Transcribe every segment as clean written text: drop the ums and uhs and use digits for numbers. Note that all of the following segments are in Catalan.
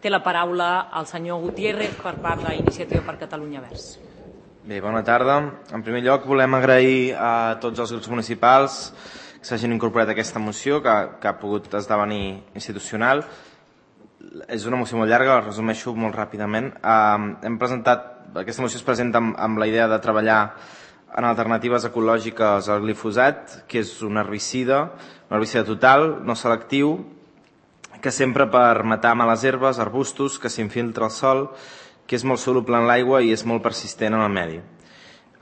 Té la paraula el senyor Gutiérrez per part d'Iniciativa per Catalunya Verds. Bé, bona tarda. En primer lloc, volem agrair a tots els grups municipals que s'hagin incorporat a aquesta moció, que ha pogut esdevenir institucional. És una moció molt llarga, la resumeixo molt ràpidament. Aquesta moció es presenta amb la idea de treballar en alternatives ecològiques al glifosat, que és un herbicida total, no selectiu, que s'empra per matar males herbes, arbustos, que s'infiltra al sòl, que és molt soluble en l'aigua i és molt persistent en el medi.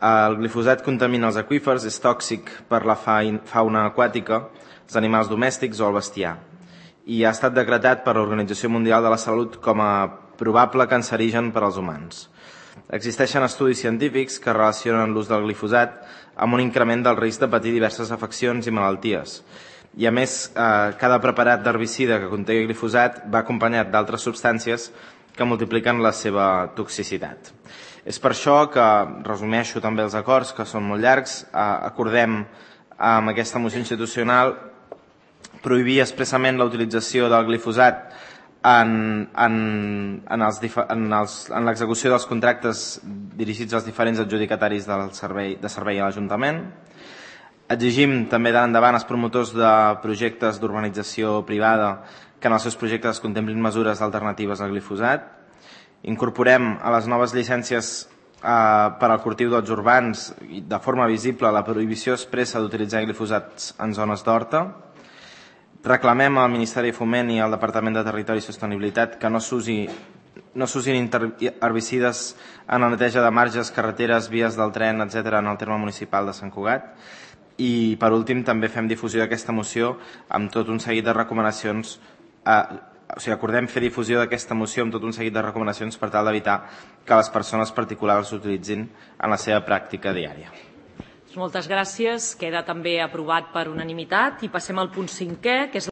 El glifosat contamina els aqüífers, és tòxic per la fauna aquàtica, els animals domèstics o el bestiar, i ha estat decretat per l'Organització Mundial de la Salut com a probable cancerigen per als humans. Existeixen estudis científics que relacionen l'ús del glifosat amb un increment del risc de patir diverses afeccions i malalties. I a més, cada preparat d'herbicida que conté glifosat va acompanyat d'altres substàncies que multipliquen la seva toxicitat. És per això que resumeixo també els acords, que són molt llargs. Acordem amb aquesta moció institucional prohibir expressament la utilització del glifosat en l'execució dels contractes dirigits als diferents adjudicataris de servei a l'Ajuntament. Exigim també d'endavant als promotors de projectes d'urbanització privada que en els seus projectes contemplin mesures alternatives al glifosat. Incorporem a les noves llicències per al cultiu d'horts urbans de forma visible la prohibició expressa d'utilitzar glifosats en zones d'horta. Reclamem al Ministeri de Foment i al Departament de Territori i Sostenibilitat que no s'usin herbicides en la neteja de marges, carreteres, vies del tren, etc. en el terme municipal de Sant Cugat. I, per últim, també fem difusió d'aquesta moció amb tot un seguit de recomanacions. Acordem fer difusió d'aquesta moció amb tot un seguit de recomanacions per tal d'evitar que les persones particulars l'utilitzin en la seva pràctica diària. Moltes gràcies. Queda també aprovat per unanimitat i passem al punt 5è, que és